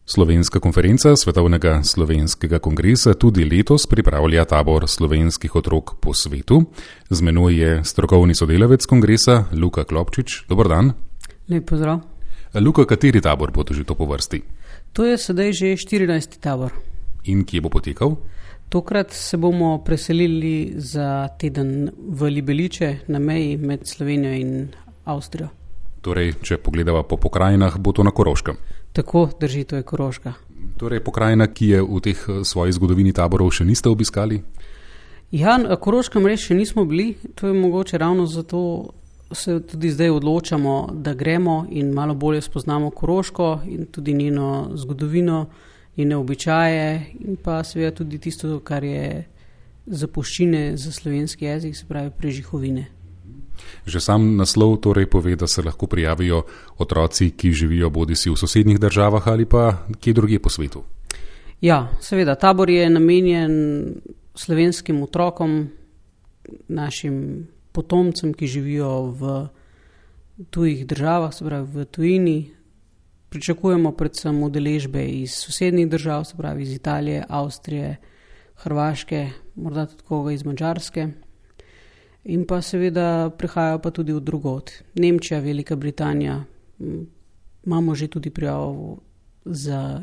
Slovenska konferenca Svetovnega slovenskega kongresa tudi letos pripravlja tabor slovenskih otrok po svetu. Z menoj je strokovni sodelavec kongresa Luka Klopčič. Dober dan. Lep pozdrav. Luka, kateri tabor bo to že to po vrsti? To je sedaj že 14. tabor. In kje bo potekal? Tokrat se bomo preselili za teden v Libeliče na meji med Slovenijo in Avstrijo. Torej, če pogledava po pokrajinah, bo to na Koroškem. Tako drži, to je Koroška. Torej, pokrajina, ki je v teh svoji zgodovini taborov še niste obiskali? Ja, na Koroškem res še nismo bili. To je mogoče ravno zato se tudi zdaj odločamo, da gremo in malo bolje spoznamo Koroško in tudi njeno zgodovino, njene običaje in pa seveda tudi tisto, kar je zapuščine za slovenski jezik, se pravi prežihovine. Že sam naslov torej pove, da se lahko prijavijo otroci, ki živijo bodisi v sosednjih državah ali pa kje drugje po svetu. Ja, seveda, tabor je namenjen slovenskim otrokom, našim potomcem, ki živijo v tujih državah, se pravi v tujini. Pričakujemo predvsem udeležbe iz sosednjih držav, se pravi iz Italije, Avstrije, Hrvaške, morda tudi koga iz Madžarske. In pa seveda prihajajo pa tudi od drugod. Nemčija, Velika Britanija, imamo že tudi prijavo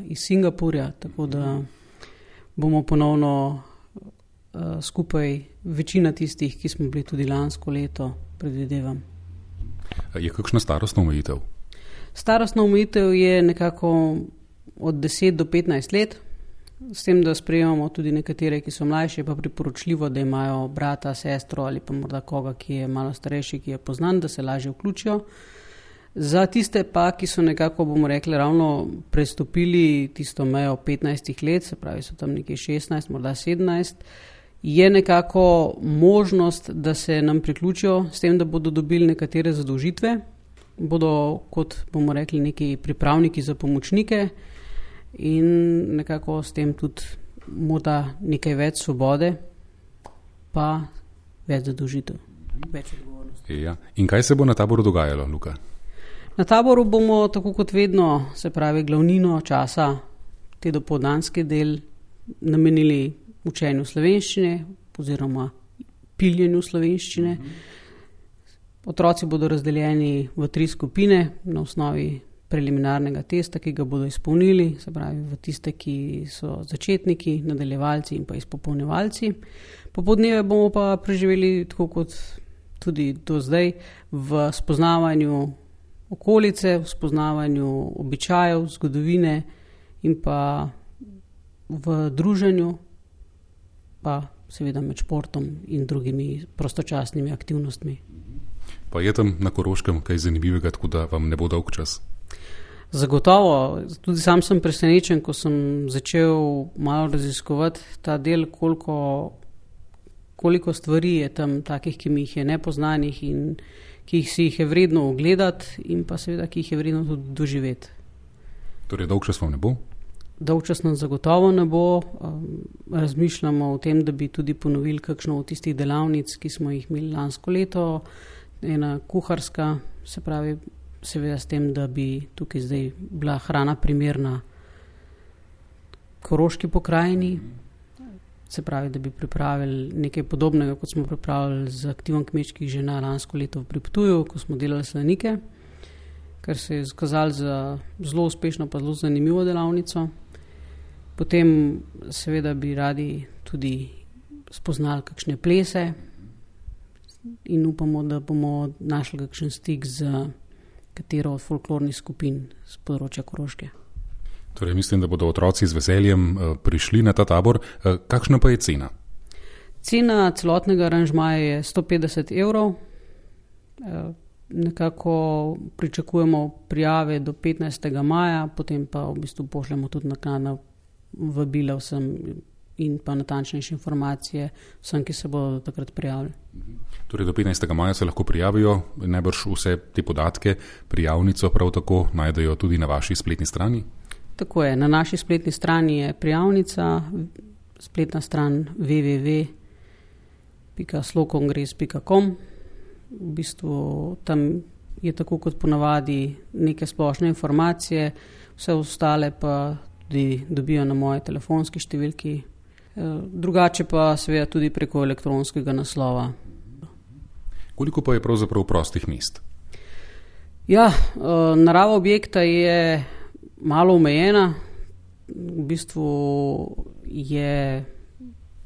iz Singapurja, tako da bomo ponovno skupaj večina tistih, ki smo bili tudi lansko leto, predvidevam. Je kakšna starostna omejitev? Starostna omejitev je nekako od 10 do 15 let, s tem, da sprejemamo tudi nekatere, ki so mlajši, pa priporočljivo, da imajo brata, sestro ali pa morda koga, ki je malo starejši, ki je poznan, da se lažje vključijo. Za tiste pa, ki so nekako, bomo rekli, ravno prestopili tisto mejo 15 let, se pravi, so tam nekje 16, morda 17, je nekako možnost, da se nam priključijo s tem, da bodo dobili nekatere zadolžitve, bodo, kot bomo rekli, neki pripravniki za pomočnike in nekako s tem tudi morda nekaj več svobode, pa več zadolžitev, več odgovornosti. Ja. In kaj se bo na taboru dogajalo, Luka? Na taboru bomo, tako kot vedno, se pravi glavnino časa, te dopoldanski del, namenili učenju slovenščine oziroma piljenju slovenščine. Otroci bodo razdeljeni v 3 skupine na osnovi preliminarnega testa, ki ga bodo izpolnili, se pravi v tiste, ki so začetniki, nadaljevalci in pa izpopolnjevalci. Popoldneve bomo pa preživeli, tako kot tudi do zdaj, v spoznavanju okolice, v spoznavanju običajev, zgodovine in pa v druženju, pa seveda med športom in drugimi prostočasnimi aktivnostmi. Pa je tam na Koroškem kaj zanimivega, tako da vam ne bo dolg čas? Zagotovo. Tudi sam sem presenečen, ko sem začel malo raziskovati ta del, koliko stvari je tam takih, ki mi jih je nepoznanih in ki si jih je vredno ogledati in pa seveda, ki jih je vredno tudi doživeti. Torej, dolg čas vam ne bo? Dolg čas nam zagotovo ne bo. Razmišljamo o tem, da bi tudi ponovili kakšno od tistih delavnic, ki smo jih imeli lansko leto, ena kuharska, se pravi, seveda s tem, da bi tukaj zdaj bila hrana primerna koroški pokrajini, se pravi, da bi pripravili nekaj podobnega, kot smo pripravili z aktivom kmečkih žena lansko leto pri Ptuju, ko smo delali slanike, kar se je izkazalo za zelo uspešno pa zelo zanimivo delavnico. Potem seveda bi radi tudi spoznali kakšne plese in upamo, da bomo našli kakšen stik z katero od folklornih skupin z področja Koroške. Torej, mislim, da bodo otroci z veseljem prišli na ta tabor. Kakšna pa je cena? Cena celotnega aranžmaja je 150 €. Nekako pričakujemo prijave do 15. maja, potem pa v bistvu pošljemo tudi naknadna vabila vsem in pa natančnejše informacije vsem, ki se bodo takrat prijavili. Torej, do 15. maja se lahko prijavijo, najbrž vse te podatke, prijavnico prav tako najdejo tudi na vaši spletni strani? Tako je, na naši spletni strani je prijavnica, spletna stran www.slokongres.com. V bistvu tam je tako kot ponavadi neke splošne informacije, vse ostale pa tudi dobijo na moje telefonski številki. Drugače pa seveda tudi preko elektronskega naslova. Koliko pa je pravzaprav prostih mest? Ja, narava objekta je malo omejena. V bistvu je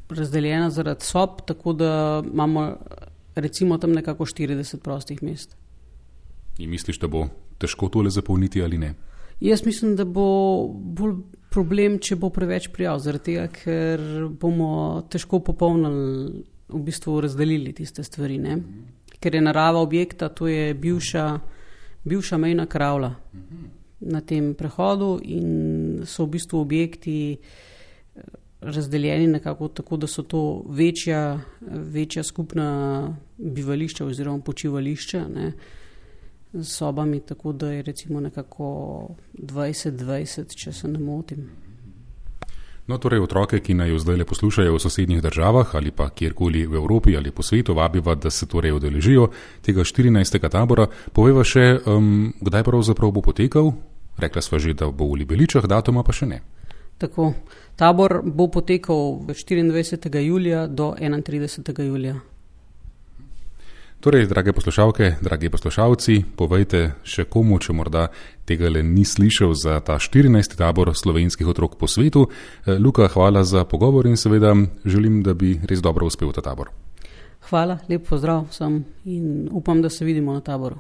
razdeljena zaradi sob, tako da imamo recimo tam nekako 40 prostih mest. In misliš, da bo težko tole zapolniti ali ne? Jaz mislim, da bo bolj problem, če bo preveč prijav, zaradi tega, ker bomo težko popolnili, v bistvu razdelili tiste stvari, ne? Ker je narava objekta, to je bivša mejna kravla na tem prehodu in so v bistvu objekti razdeljeni nekako tako, da so to večja skupna bivališča oziroma počivališča, ne, s sobami, tako da je recimo nekako 20-20, če se ne motim. No, torej otroke, ki naj jo zdaj poslušajo v sosednjih državah ali pa kjerkoli v Evropi ali po svetu, vabiva, da se torej udeležijo tega 14. tabora. Povejva še, kdaj pravzaprav bo potekal? Rekla sva že, da bo v Libeličah, datuma pa še ne. Tako, tabor bo potekal 24. julija do 31. julija. Torej, drage poslušalke, dragi poslušalci, povejte še komu, če morda tega le ni slišal za ta 14. tabor slovenskih otrok po svetu. Luka, hvala za pogovor in seveda želim, da bi res dobro uspel ta tabor. Hvala, lep pozdrav vsem in upam, da se vidimo na taboru.